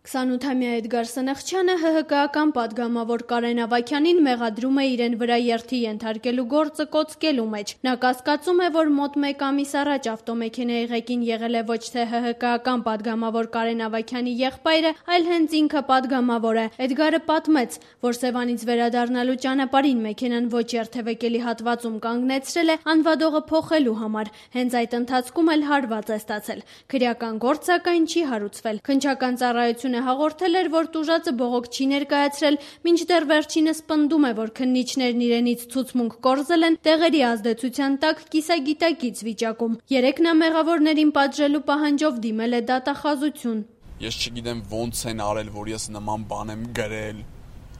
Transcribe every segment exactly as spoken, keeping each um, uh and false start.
քսանութամյա Էդգար Սնխչյանը ՀՀԿ-ական պատգամավոր Կարեն Ավագյանին մեղադրում է իրեն վրա երթի ենթարկելու գործը կոծկելու մեջ։ Նա կասկածում է, որ մոտ մեկ ամիս առաջ ավտոմեքենայի ղեկին եղել է ոչ թե ՀՀԿ-ական պատգամավոր Կարեն Ավագյանի եղբայրը, այլ հենց ինքը պատգամավոր է։ Էդգարը պատմեց, որ Սևանից վերադառնալու ճանապարհին մեքենան ոչ երթևեկելի հատվածում կանգնեցրել է անվադողը փոխելու համար։ Հենց այդ ընթացքում էլ հարված է ստացել։ Քրեական գործ սակայն չի հարուցվել։ Քննչական ծառայությունը հաղորդել էր, որ տուժածը բողոք չի ներկայացրել, մինչդեռ վերջինս պնդում է, որ քննիչներն իրենից ցուցմունք կորզել են տեղերի ազդեցության տակ կիսագիտակից վիճակում։ Երեկ նա մեղավորներին պատժելու պահանջով դիմել է դատախազություն։ Ես չգիտեմ ոնց են արել, որ ես նման բան եմ գրել։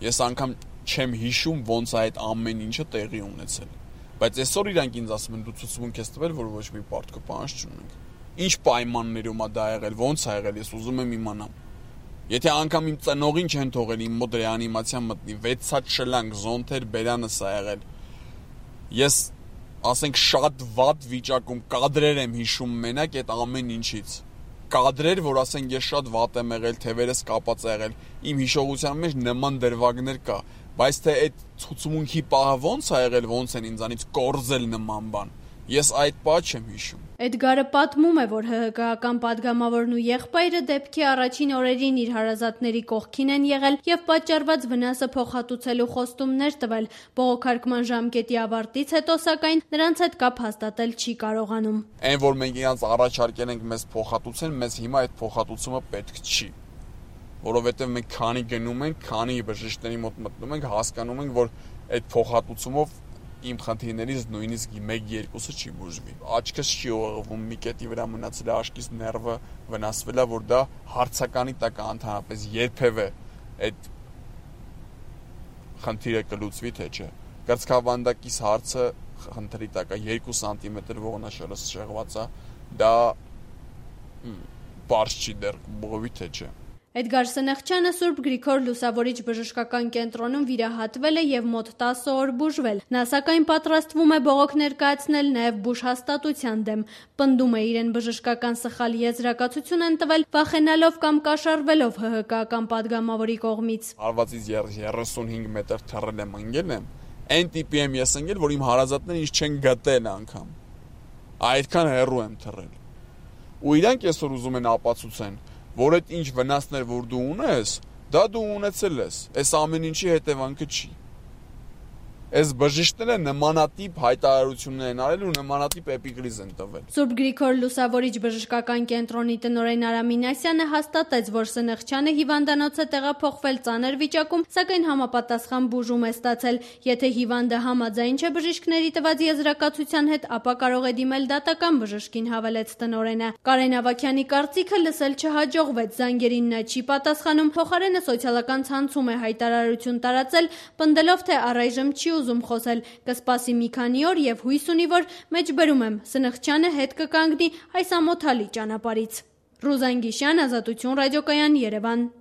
Ես անգամ չեմ հիշում ոնց այդ ամեն ինչը տեղի ունեցել։ Բայց այսօր իրանք ինձ ասում են դու ցուցմունք ես տվել, որ ոչ մի պարտքը պահանջ չունենք։ Ինչ պայմաններում է դա եղել, ոնց է եղել, ես ուզում եմ իմանամ։ Եթե անգամ իմ ծնողին չեն թողել իմ մոտ ռեանիմացիան մտնի, վեցած շլանք, զոնթեր, բերանս է եղել։ Ես, ասենք, շատ վատ վիճակում կադրեր եմ հիշում մենակ այդ ամեն ինչից։ Կադրեր, որ ասենք ես շատ վատ եմ եղել, թևերս կապած է եղել, իմ հիշողության մեջ նման դրվագներ կա, բայց թե այդ ցուցմունքի պահը ոնց է եղել, ոնց են ինձանից կորզել նման բան, ես այդ պահը չեմ հիշում։ Էդգարը պատմում է, որ ՀՀԿ-ական պատգամավորն ու եղբայրը դեպքի առաջին օրերին իր հարազատների կողքին են եղել եւ պատճառված վնասը փոխհատուցելու խոստումներ տվել։ Բողոքարկման ժամկետի ավարտից հետո սակայն նրանց հետ կապ հաստատել չի կարողանում։ Այն որ մենք իրանց առաջարկել ենք մեզ փոխհատուցեն, մեզ հիմա այդ փոխհատուցումը պետք չի, որովհետեւ մենք քանի գնում ենք, քանի բժիշկների մոտ մտնում ենք, հասկանում ենք, որ այդ փոխհատուցումով իմ խնդիրներից նույնիսկ մեկ-երկուսը չի բուժվի։ Աչքս չի ուղղվում, մի կետի վրա մնացել է աչքիս ներվը վնասվել է, որ դա հարցականի տակ է ընդհանրապես երբևէ այդ խնդիրը կլուծվի թե չէ։ Կրծքավանդակիս հարցը խնդրի տակ է, երկու սանտիմետր ողնաշերս շեղված է, դա բարձ չի դեռ բողովի թե չէ։ Էդգար Սնխչյանը Սուրբ Գրիգոր Լուսավորիչ բժշկական կենտրոնում վիրահատվել է եւ մոտ տասը օր բուժվել։ Նա սակայն պատրաստվում է բողոք ներկայացնել նաեւ բուժհաստատության դեմ։ Պնդում է իրեն բժշկական սխալ եզրակացություն են տվել, վախենալով կամ կաշառվելով ՀՀԿ-ական պատգամավորի կողմից։ Արվածից երեսունհինգ մետր թռել եմ, ընկել եմ։ Այն տիպի եմ ես ընկել, որ իմ հարազատները ինձ չեն գտել անգամ։ Այդքան հեռու եմ թռել։ Ու իրանք այսօր ուզում են ապացուցեն, որ այդ ինչ վնասներ, որ դու ունես, դա դու ունեցել ես, այս ամեն ինչի հետևանքը չի։ Այս բժիշկները նմանատիպ հայտարարություններ են արել ու նմանատիպ էպիկրիզ են տվել։ Սուրբ Գրիգոր Լուսավորիչ բժշկական կենտրոնի տնօրեն Արամ Մինասյանը հաստատեց, որ Սնխչյանը հիվանդանոց է տեղափոխվել ծանր վիճակում, սակայն համապատասխան բուժում է ստացել։ Եթե հիվանդը համաձայն չէ բժիշկների տված եզրակացության հետ, ապա կարող է դիմել դատական բժշկին, հավելեց տնօրենը։ Կարեն Ավագյանի կարծիքը լսել չհաջողվեց, զանգերին նա չի պատասխանում, փոխարենը սոցիալական ցանցում է հայտարարություն տարածել, պնդելով, թե առայժմ չի ուզում խոսել, կսպասի մի քանի օր եւ հույս ունի, որ մեջբերում եմ Սնխչյանը հետ կկանգնի այս ամոթալի ճանապարհից։ Ռուզան Գիշյան, Ազատություն ռադիոկայան, Երևան։